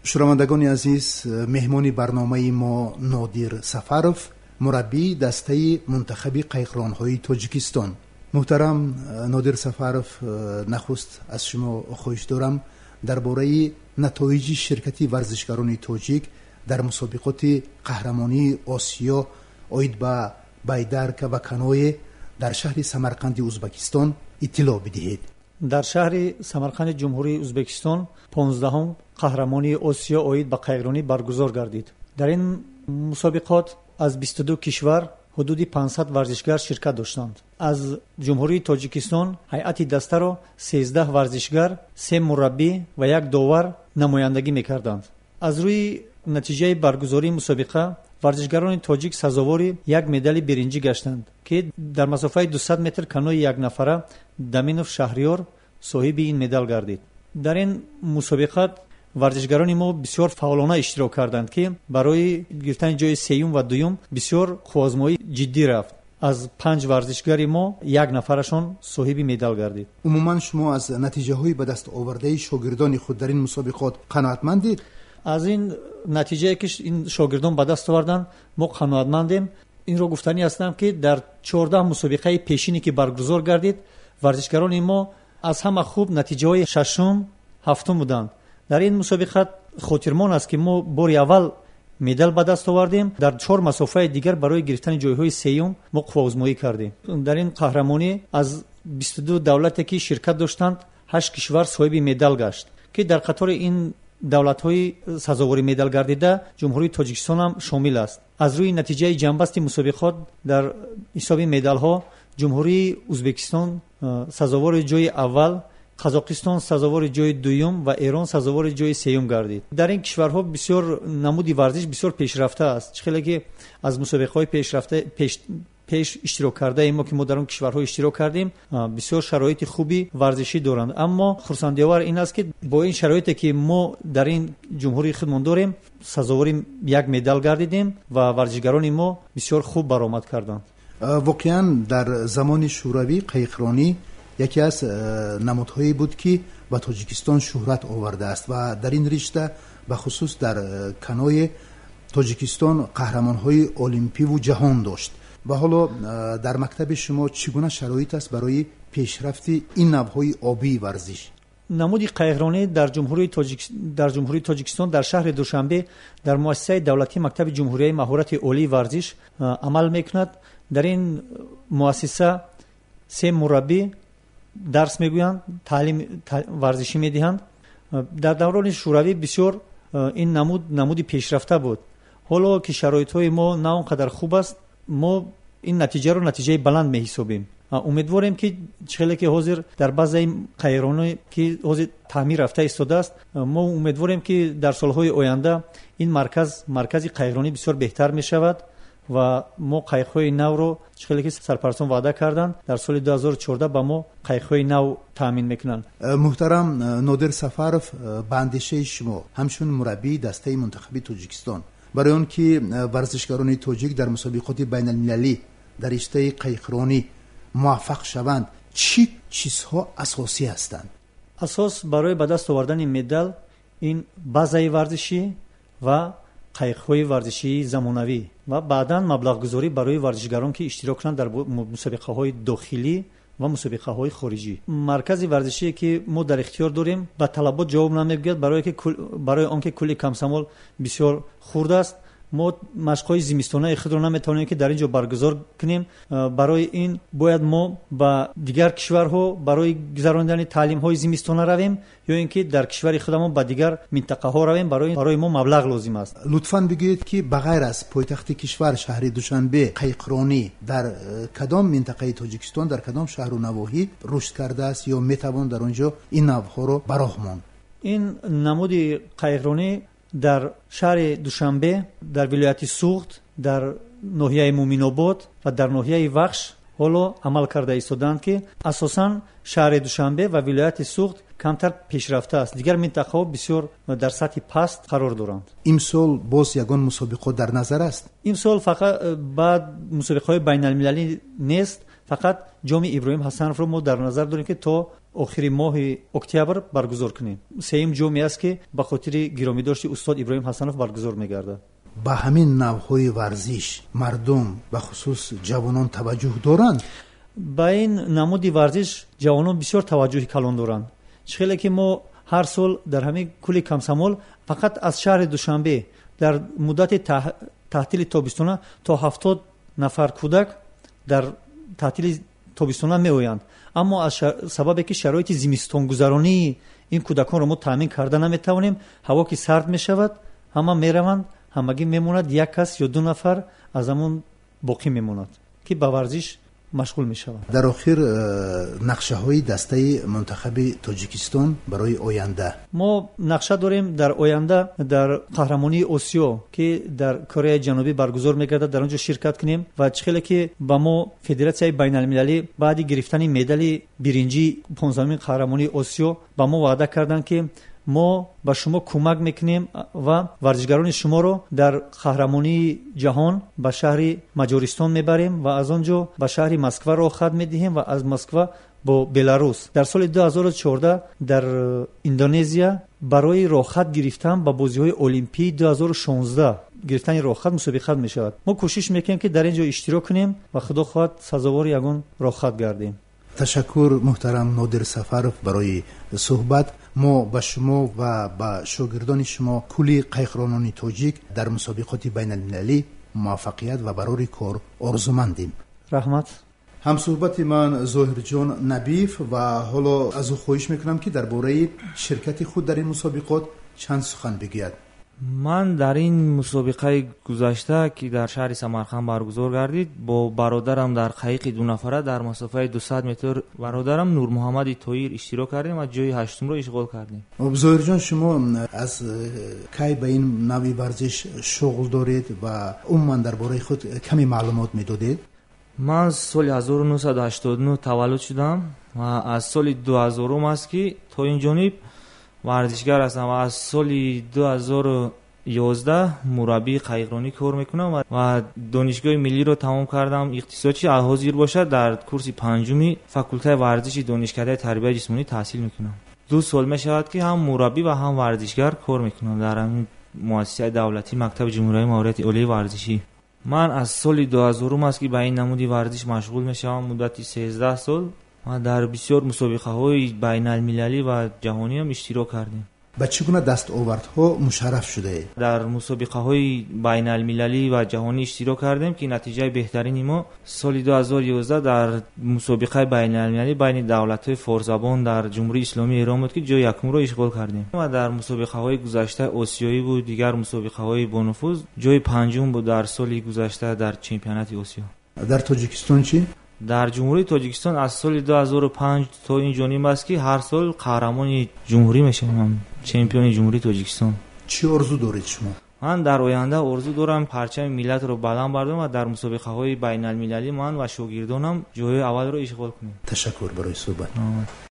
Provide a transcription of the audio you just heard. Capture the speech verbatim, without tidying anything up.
Шунавандагони азиз, меҳмони барномаи мо Нодир Сафаров, мураббии дастаи мунтахаби қайиқронҳои Тоҷикистон. Муҳтарам Нодир Сафаров, нахуст аз шумо хоҳиш дорам дар бораи натоиҷи ширкати варзишгарони тоҷик дар мусобиқоти қаҳрамонии Осиё оид ба байдарка ва каное дар шаҳри Самарқанди Узбакистон иттилоъ бидиҳед. Дар шаҳри Самарқанди Ҷумҳурии Узбекистон понздаҳум қаҳрамонии Осиё оид ба қайиқронӣ баргузор гардид. Дар ин мусобиқот аз бисту ду кишвар ҳудуди панҷсад варзишгар ширкат доштанд. Аз Ҷумҳурии Тоҷикистон ҳайати дастаро сездаҳ варзишгар, се мураббӣ ва як довар намояндагӣ мекарданд. Аз рӯи натиҷаи баргузории мусобиқа варзишгарони тоҷик сазовори як медали биринҷӣ гаштанд, ки дар масофаи дусад метр канои якнафара Даминов Шаҳриёр соҳиби ин медал гардид. Дар ин мусобиқа варзишгарони мо бисёр фаъолона иштирок карданд, ки барои гирифтани ҷои сеюм ва дуюм бисёр қувваозмоӣ ҷиддӣ рафт. Аз панҷ варзишгари мо як нафарашон соҳиби медал гардид. Умуман шумо аз натиҷаҳои ба даст овардаи шогирдони худ дар ин мусобиқот қаноатмандед? Аз ин натиҷае ки ин шогирдон ба даст оварданд мо қаноатмандем. Инро гуфтанӣ ҳастам, ки дар чордаҳ мусобиқаи пешине ки баргузор гардид, варзишгарони мо аз ҳама хуб натиҷаҳои шашум, ҳафтум буданд. Дар ин мусобиқа хотирмон аст, ки мо бори аввал медал ба даст овардем. Дар чор масофаи дигар барои гирифтани ҷойҳои сеюм мо қувваозмоӣ кардем. Дар ин қаҳрамонӣ аз бисту ду давлате ки ширкат доштанд, ҳашт кишвар соҳиби медал гашт, ки дар қатори ин давлатҳои сазовори медал гардида Ҷумҳурии Тоҷикистон ҳам шомил аст. Аз рӯи натиҷаи ҷамъбасти мусобиқот дар ҳисоби медалҳо Ҷумҳурии Узбекистон сазовори ҷои аввал, Қазоқистон сазовори ҷои дуюм ва Эрон сазовори ҷои сеюм гардид. Дар ин кишварҳо бисёр намуди варзиш бисёр пешрафта аст. Чӣ хеле ки аз мусобиқаҳои пешрафта пеш, пеш иштирок кардаем мо, ки мо дар он кишварҳо иштирок кардем, бисёр шароити хуби варзишӣ доранд. Аммо хурсандиовар ин аст, ки бо ин шароите ки мо дар ин ҷумҳурии худмон дорем, сазовори як медал гардидем ва варзишгарони мо бисёр хуб баромад карданд. Воқеан дар замони шӯравӣ қайиқронӣ яке аз намудҳое буд, ки ба Тоҷикистон шӯҳрат овардааст ва дар ин ришта бахусус дар канои Тоҷикистон қаҳрамонҳои олимпиву ҷаҳон дошт. Ва ҳоло дар мактаби шумо чӣ гуна шароит аст барои пешрафти ин навъҳои обии варзиш? Намуди қайиқронӣ дар Ҷумҳурии Тоҷик, дар Ҷумҳурии Тоҷикистон дар шаҳри Душанбе дар муассисаи давлатии мактаби ҷумҳурияи маҳорати олии варзиш амал мекунад. Дар ин муассиса се мураббӣ дарс мегӯянд, таълим варзишӣ медиҳанд. Дар даврони шӯравӣ бисёр ин намуд намуди пешрафта буд. Ҳоло ки шароитҳои мо на он қадар хуб аст, мо ин натиҷаро натиҷаи баланд меҳисобем. Умедворем, ки чӣ хеле ки ҳозир дар баъзеи қайиқроне ки ҳозир таъмир рафта истодааст, мо умедворем, ки дар солҳои оянда ин марказ маркази қайиқронӣ бисёр беҳтар мешавад ва мо қайиқҳои навро чӣ хеле ки сарпарастон ваъда карданд, дар соли ду ҳазору чордаҳ ба мо қайиқҳои нав таъмин мекунанд. Муҳтарам Нодир Сафаров, ба андешаи шумо ҳамчун мураббии дастаи мунтахаби Тоҷикистон, барои он ки варзишгарони тоҷик дар мусобиқоти байналмилалӣ дар риштаи қайиқронӣ муваффақ шаванд, чӣ чизҳо асосӣ ҳастанд? Асос барои ба даст овардани медал ин базаи варзишӣ ва қайиқҳои варзишии замонавӣ ва баъдан маблағгузорӣ барои варзишгарон, ки иштирок кунанд дар мусобиқаҳои дохилӣ ва мусобиқаҳои хориҷӣ. Маркази варзишие ки мо дар ихтиёр дорем ба талабот ҷавоб намегӯяд, барои ки барои он ки кӯли Комсомол бисёр хурд аст. Мо машқҳои зимистонаи худро наметавонем ки дар ин ҷо баргузор кунем. Барои ин бояд мо ба дигар кишварҳо барои гузаронидани таълимҳои зимистона равем ё ин ки дар кишвари худамон ба дигар минтақаҳо равем. Барои, барои мо маблағ лозим аст. Лутфан бигӯед, ки ба ғайр аз пойтахти кишвар шаҳри Душанбе, қайиқронӣ дар кадом минтақаи Тоҷикистон, дар кадом шаҳру навоҳӣ рушд кардааст ё метавон дар он ҷо ин навъҳоро ба роҳ монд? Ин намуди қайиқронӣ дар шаҳри Душанбе, дар вилояти Суғд, дар ноҳияи Муминобод ва дар ноҳияи Вахш ҳоло амал карда истодаанд, ки асосан шаҳри Душанбе ва вилояти Суғд камтар пешрафта аст. Дигар минтақаҳо бисёр дар сатҳи паст қарор доранд. Имсол боз ягон мусобиқот дар назар аст? Имсол фақат баъд мусобиқаҳои байналмилалӣ нест, фақат ҷоми Иброҳим Ҳасановро мо дар назар дорем, ки то охири моҳи октябр баргузор кунем. Сеюм ҷоме аст, ки ба хотири гиромидошти устод Иброҳим Ҳасанов баргузор мегардад. Ба ҳамин навъҳои варзиш мардум, бахусус ҷавонон, таваҷҷӯҳ доранд? Ба ин намуди варзиш ҷавонон бисёр таваҷҷӯҳи калон доранд. Чӣ хеле ки мо ҳар сол дар ҳамин кӯли Комсомол фақат аз шаҳри Душанбе дар муддати таътили тобистона то ҳафтод нафар кӯдак дар таътили тобистона меоянд. Аммо аз сабабе ки шароити зимистонгузаронии ин кӯдаконро мо таъмин карда наметавонем, ҳаво ки сард мешавад, ҳама мераванд, ҳамагӣ мемонад як кас ё ду нафар аз ҳамон боқӣ мемонад, ки ба варзиш машғул мешаванд. Дар охир, нақшаҳои дастаи мунтахаби Тоҷикистон барои оянда? Мо нақша дорем дар оянда дар қаҳрамонии Осиё, ки дар Кореяи Ҷанубӣ баргузор мегардад, дар он ҷо ширкат кунем ва чӣ хеле ки ба мо Федератсияи байналмилалӣ баъди гирифтани медали биринҷии понздаҳумин қаҳрамонии Осиё ба мо ваъда карданд, ки мо ба шумо кӯмак мекунем ва варзишгарони шуморо дар қаҳрамонии ҷаҳон ба шаҳри Маҷористон мебарем ва аз он ҷо ба шаҳри Москва роҳхат медиҳем ва аз Москва бо Беларус. Дар соли ду ҳазору чордаҳ дар Индонезия барои роҳхат гирифтан ба бозиҳои Олимпии ду ҳазору шонздаҳ гирифтани роҳхат мусобиқат мешавад. Мо кӯшиш мекунем, ки дар ин ҷо иштирок кунем ва худо хоҳад сазовори ягон роҳхат гардем. Ташаккур, муҳтарам Нодир Сафаров, барои суҳбат. Мо ба шумо ва ба шогирдони шумо, кулли қайқронони тоҷик дар мусобиқоти байналмилалӣ муваффақият ва барори кор орзумандем. Раҳмат. Ҳамсуҳбати ман Зоҳирҷон Набиев ва ҳоло аз ӯ хоҳиш мекунам, ки дар бораи ширкати худ дар ин мусобиқот чанд сухан бигӯяд. Ман дар ин мусобиқаи гузашта, ки дар шаҳри Самарқанд баргузор гардид, бо бародарам дар қайиқи дунафара дар масофаи дусад метр бародарам Нурмуҳаммади Тоир иштирок кардем ва ҷои ҳаштумро ишғол кардем. Зоҳирҷон, шумо аз кай ба ин навъи варзиш шуғл доред ва умуман дар бораи худ каме маълумот медодед? Ман соли ҳазору нӯҳсаду ҳаштоду нӯҳ таваллуд шудам ва аз соли дуҳазорум аст, ки то ин ҷониб варзишгар ҳастам ва аз соли дуҳазору ёздаҳ мураббии қайиқронӣ кор мекунам ва донишгоҳи миллиро тамом кардам. Иқтисодчи ҳозир бошад, дар курси панҷуми факултаи варзиши донишкадаи тарбияи ҷисмонӣ таҳсил мекунам. Ду сол мешавад, ки ҳам мураббӣ ва ҳам варзишгар кор мекунам дар ҳамин муассисаи давлатӣ мактаби ҷумҳуриявии маорифи олии варзишӣ. Ман аз соли дуҳазорум аст, ки ба ин намуди варзиш машғул мешавам, муддати сездаҳ сол ва дар бисёр мусобиқаҳои байналмилалӣ ва ҷаҳониам иштирок кардем. Ба чӣ гуна дастовардҳо мушарраф шудаед? Дар мусобиқаҳои байналмилалӣ ва ҷаҳонӣ иштирок кардем, ки натиҷаи беҳтарини мо соли дуҳазору ёздаҳ дар мусобиқаи байналмилалӣ байни давлатҳои форсзабон дар Ҷумҳурии Исломии Эрон буд, ки ҷои якумро ишғол кардем ва дар мусобиқаҳои гузашта осиёӣ буд, дигар мусобиқаҳои бонуфуз ҷои панҷум буд дар соли гузашта дар чемпионати Осиё. Дар Тоҷикистон чӣ? Дар Ҷумҳурии Тоҷикистон аз соли дуҳазору панҷ то ин ҷониб аст, ки ҳар сол қаҳрамони ҷумҳурӣ мешавам, чемпиони Ҷумҳурии Тоҷикистон. Чӣ орзу доред шумо? Ман дар оянда орзу дорам парчами миллатро баланд бардорам ва дар мусобиқаҳои байналмилалӣ ман ва шогирдонам ҷойҳои аввалро ишғол кунем. Ташаккур барои суҳбат.